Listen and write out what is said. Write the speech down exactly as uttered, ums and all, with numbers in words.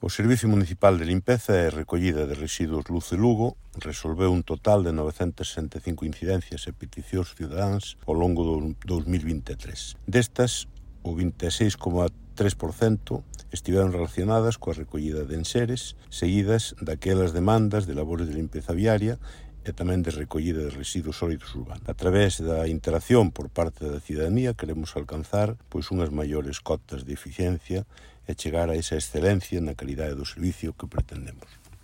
O Servicio Municipal de Limpeza e Recollida de Residuos Luce Lugo resolveu un total de novecentas sesenta e cinco incidencias e peticións cidadáns ao longo do dos mil vinte e tres. Destas, o vinte e seis coma tres por cento estiveron relacionadas coa recollida de enseres, seguidas daquelas demandas de labores de limpeza viaria e tamén de recollida de residuos sólidos urbanos. A través da interacción por parte da cidadanía queremos alcanzar pois unhas maiores cotas de eficiencia e chegar a esa excelencia na calidade do servicio que pretendemos.